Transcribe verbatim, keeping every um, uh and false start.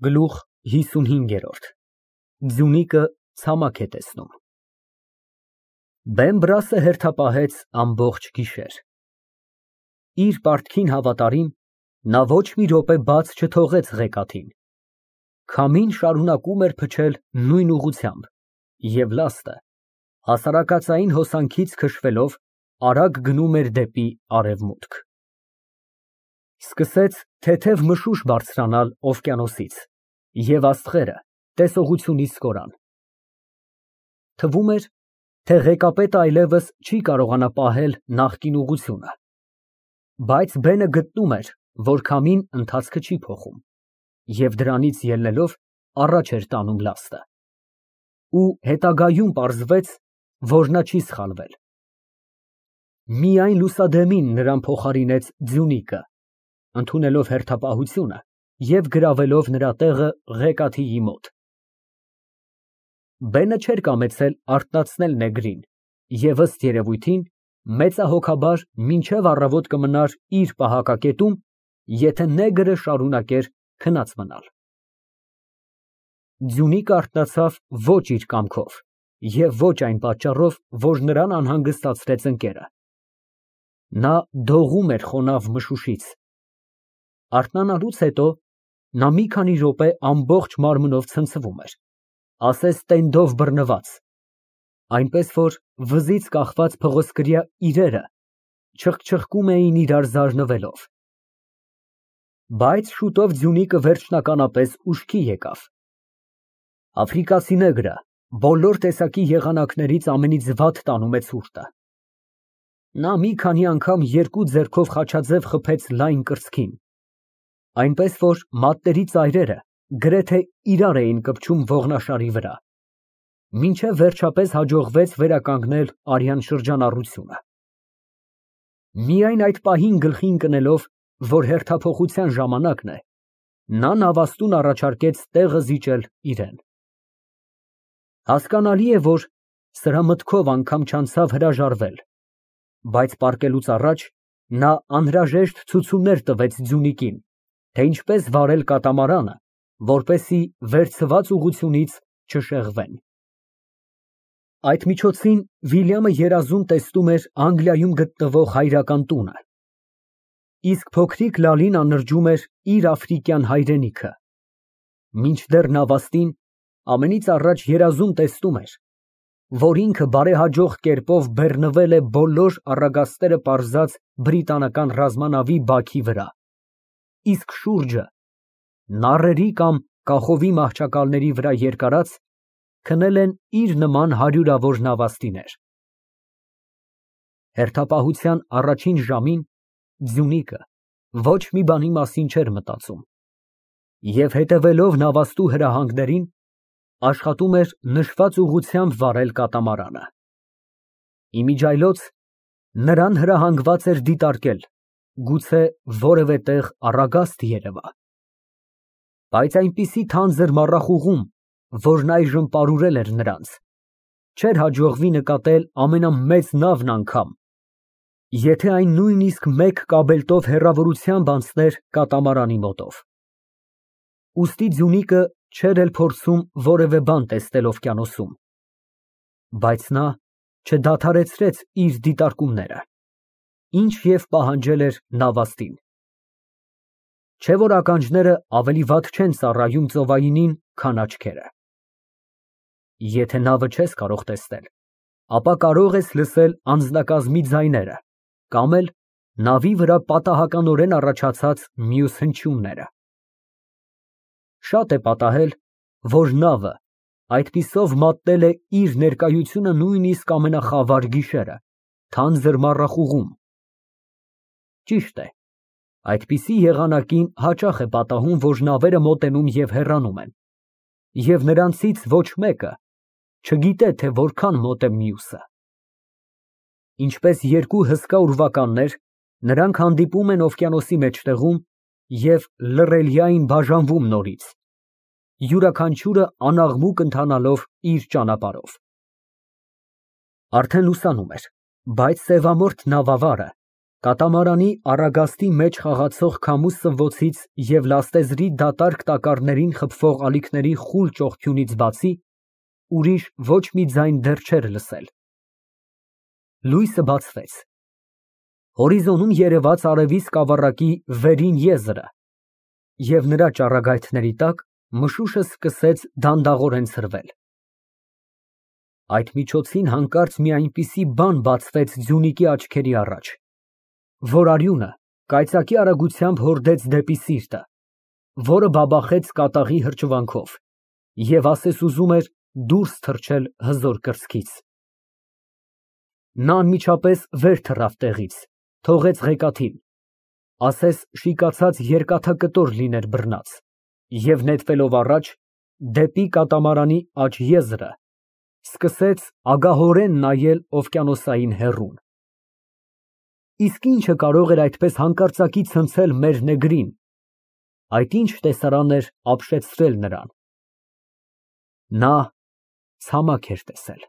Գլուխ հիսունհինգ։ Ձյունիկը ցամաք է տեսնում։ Բեմբրասը հերթապահեց ամբողջ գիշեր։ Իր պարտքին հավատարիմ, նա ոչ մի րոպե բաց չթողեց ղեկաթին։ Քամին շարունակում էր փչել նույն ուղղությամբ, և լաստը, հասարակածային հոսանքից քշվելով, արագ գնում էր դեպի արևմուտք։ Սկսեց թեթև մշուշ բարձրանալ օվկիանոսից, և աստղերը տեսողությունից կորան։ Թվում էր, թե ղեկապետը այլևս չի կարողանա պահել նախկին ուղղությունը, բայց բենը գտնում էր, որ քամին ընթացքը չի փոխում, և դրանից ելնելով առաջ էր տանում լաստը։ Ու հետագայում պարզվեց, որ նա չի սխալվել։ Միայն լուսադեմին նրան փոխարինեց ձյունիկը, ընդունելով հերթապահությունը և գրավելով նրա տեղը ղեկաթիի մոտ։ Բենը չէր կամեցել արթնացնել նեգրին և, ըստ երևույթին, մեծահոգաբար մինչև առավոտ կմնար իր պահակակետում, եթե նեգրը շարունակեր քնած մնալ։ Ձյունիկը արթնացավ ոչ իր կամքով և ոչ այն պատճառով, որ նրան անհանգստացրեց ընկերը։ Նա դողում էր խոնավ մշուշից։ Արթնանալուց հետո նա մի քանի րոպե ամբողջ մարմնով ցնցվում էր, ասես տենդով բռնված, այնպես որ վզից կախված փղոսկրյա իրերը չխչխկում էին իրար զարնվելով։ Բայց շուտով ձյունիկը վերջնականապես ուշքի եկավ։ Աֆրիկացի նեգրը բոլոր տեսակի եղանակներից ամենից վատ տանում է ցուրտը։ Նա մի քանի անգամ երկու ձեռքով խաչաձև խփեց լայն կրծքին, այնպես որ մատների ծայրերը գրեթե իրար էին կպչում ողնաշարի վրա, մինչև վերջապես հաջողվեց վերականգնել արյան շրջանառությունը։ Միայն այդ պահին գլխի ընկնելով, որ հերթափոխության ժամանակն է, նա նավաստուն առաջարկեց տեղը զիջել իրան։ Հասկանալի է, որ սրա մտքով անգամ չանցավ հրաժարվել, բայց պառկելուց առաջ նա անհրաժեշտ ցուցումներ տվեց ձյունիկին, թե ինչպես վարել կատամարանը, որպեսզի վերցված ուղղությունից չշեղվեն։ Այդ միջոցին Վիլյամը երազում տեսնում էր Անգլիայում գտնվող հայրական տունը, իսկ փոքրիկ Լալին անրջում էր իր աֆրիկյան հայրենիքը, մինչդեռ նավաստին ամենից առաջ երազում տեսնում էր, որ ինքը բարեհաջող կերպով բեռնվել է բոլոր առագաստերը պարզած բրիտանական ռազմանավի բաքի վրա, իսկ շուրջը նառերի կամ կախովի մահճակալների վրա երկարած քնել են իր նման հարյուրավոր նավաստիներ։ Հերթապահության առաջին ժամին ձյունիկը ոչ մի բանի մասին չէր մտածում և, հետևելով նավաստու հրահանգներին, աշխատում էր նշված ուղղությամբ վարել կատամարանը։ Իմիջիայլոց նրան հրահանգված էր դիտարկել, գուցե որևէ տեղ առագաստ երևա, բայց այնպիսի թանձր մառախուղում, որն այժմ պարուրել էր նրանց, չէր հաջողվի նկատել ամենամեծ նավն անգամ, եթե այն նույնիսկ մեկ կաբելտով հեռավորությամբ անցներ կատամարանի մոտով։ Ուստի ձյունիկը չէր էլ փորձում որևէ բան տեսնել օվկիանոսում, բայց նա չդադարեցրեց իր դիտարկումները, ինչ և պահանջել էր նավաստին։ Չէ՞ որ ականջները ավելի վատ չեն ծառայում ծովայինին, քան աչքերը։ Եթե նավը չես կարող տեսնել, ապա կարող ես լսել անձնակազմի ձայները կամ էլ նավի վրա պատահականորեն առաջացած մյուս հնչյունները։ Շատ է պատահել, որ նավը այդպիսով մատնել է իր ներկայությունը նույնիսկ ամենախավար գիշերը, թանձր մառախուղում։ Ճիշտ է, այդպիսի եղանակին հաճախ է պատահում, որ նավերը մոտենում և հեռանում են, և նրանցից ոչ մեկը չգիտե, թե որքան մոտ է մյուսը։ Ինչպես երկու հսկա ուրվականներ, նրանք հանդիպում են օվկիանոսի մեջտեղում և լռելյա են բաժանվում նորից, յուրաքանչյուրը անաղմուկ ընթանալով իր ճանապարհով։ Արդեն լուսանում էր, բայց սևամորթ նավավարը Կատամարանի առագաստի մեջ խաղացող քամու սնվոցից և լաստեզրի դատարկ տակառներին խփվող ալիքների խուլ ճողփյունից բացի ուրիշ ոչ մի ձայն դեռ չէր լսել։ Լույսը բացվեց։ Հորիզոնում երևաց արևի սկավառակի վերին եզրը և նրա ճառագայթների տակ մշուշը սկսեց դանդաղորեն ցրվել։ Այդ միջոցին հանկարծ մի այնպիսի բան բացվեց Ձյունիկի աչքերի առաջ, որ արյունը կայծակի արագությամբ հորդեց դեպի սիրտը, որը բաբախեց կատաղի հրճվանքով և ասես ուզում էր դուրս թռչել հզոր կրծքից։ Նա անմիջապես վեր թռավ տեղից, թողեց ղեկաթին, ասես շիկացած երկաթակտոր լիներ բռնած և նետվելով առաջ, դեպի կատամարանի աջ եզրը, սկսեց ագահորեն նայել օվկիանոսային հեռուն։ Իսկ ի՞նչը կարող էր այդպես հանկարծակի ցնցել մեր նեգրին, այդ ի՞նչ տեսարան էր ապշեցրել նրան։ Նա ցամաք էր տեսել։